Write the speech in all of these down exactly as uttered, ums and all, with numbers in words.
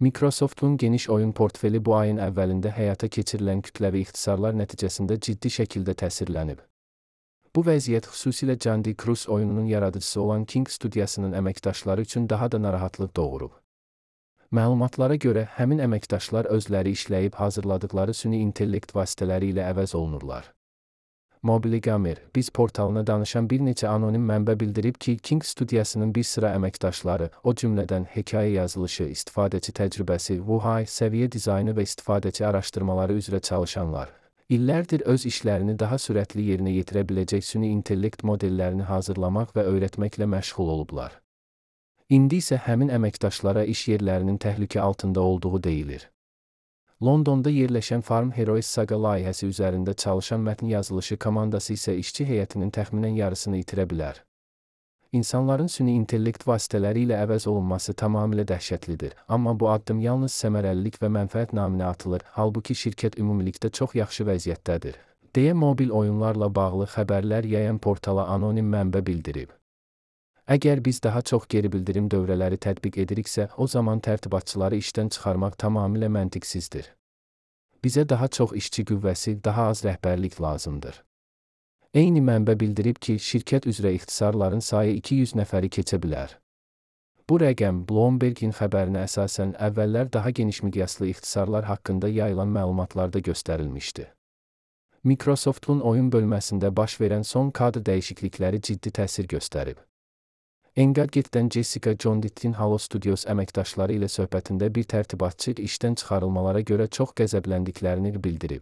Microsoft'un geniş oyun portfeli bu ayın əvvəlində həyata keçirilən kütləvi ixtisarlar nəticəsində ciddi şəkildə təsirlənib. Bu vəziyyət xüsusilə Candy Cruise oyununun yaradıcısı olan King studiyasının əməkdaşları üçün daha da narahatlıq doğurub. Məlumatlara görə, həmin əməkdaşlar özləri işləyib hazırladıkları süni intellekt vasitələri ilə əvəz olunurlar. Mobiligamer, Biz portalına danışan bir neçə anonim mənbə bildirib ki, King studiyasının bir sıra əməkdaşları, o cümlədən hekayə yazılışı, istifadəçi təcrübəsi, V U I, səviyyə dizaynı və istifadəçi araşdırmaları üzrə çalışanlar, illərdir öz işlərini daha sürətli yerinə yetirə biləcək süni intellekt modellərini hazırlamaq və öyrətməklə məşğul olublar. İndi isə həmin əməkdaşlara iş yerlərinin təhlükə altında olduğu deyilir. Londonda yerləşən Farm Heroes Saga layihəsi üzərində çalışan mətn yazılışı komandası isə işçi heyətinin təxminən yarısını itirə bilər. İnsanların süni intellekt vasitələri ilə əvəz olunması tamamilə dəhşətlidir, amma bu addım yalnız səmərəlilik və mənfəət naminə atılır, halbuki şirkət ümumilikdə çox yaxşı vəziyyətdədir, deyə mobil oyunlarla bağlı xəbərlər yayan portala anonim mənbə bildirib. Əgər biz daha çox geri bildirim dövrələri tətbiq ediriksə, o zaman tərtibatçıları işdən çıxarmaq tamamilə məntiqsizdir. Bizə daha çox işçi qüvvəsi, daha az rəhbərlik lazımdır. Eyni mənbə bildirib ki, şirkət üzrə ixtisarların sayı iki yüz nəfəri keçə bilər. Bu rəqəm Bloomberg'in xəbərinə əsasən əvvəllər daha geniş miqyaslı ixtisarlar haqqında yayılan məlumatlarda göstərilmişdi. Microsoft'un oyun bölməsində baş verən son kadr dəyişiklikləri ciddi təsir göstərib. Engadget'dən Jessica Jondit'in Halo Studios əməkdaşları ilə söhbətində bir tərtibatçı işdən çıxarılmalara görə çox qəzəbləndiklərini bildirib.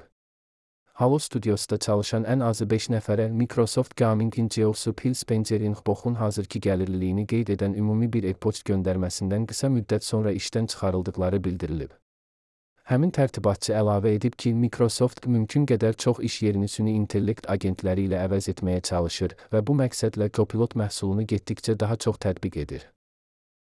Halo Studios'da çalışan ən azı beş nəfərə Microsoft Gaming'in C E O'su Phil Spencer'in Xbox'un hazırki gəlirliliyini qeyd edən ümumi bir e-poçt göndərməsindən qısa müddət sonra işdən çıxarıldıqları bildirilib. Həmin tərtibatçı əlavə edib ki, Microsoft mümkün qədər çox iş yerini süni intellekt agentləri ilə əvəz etməyə çalışır və bu məqsədlə Copilot məhsulunu getdikcə daha çox tətbiq edir.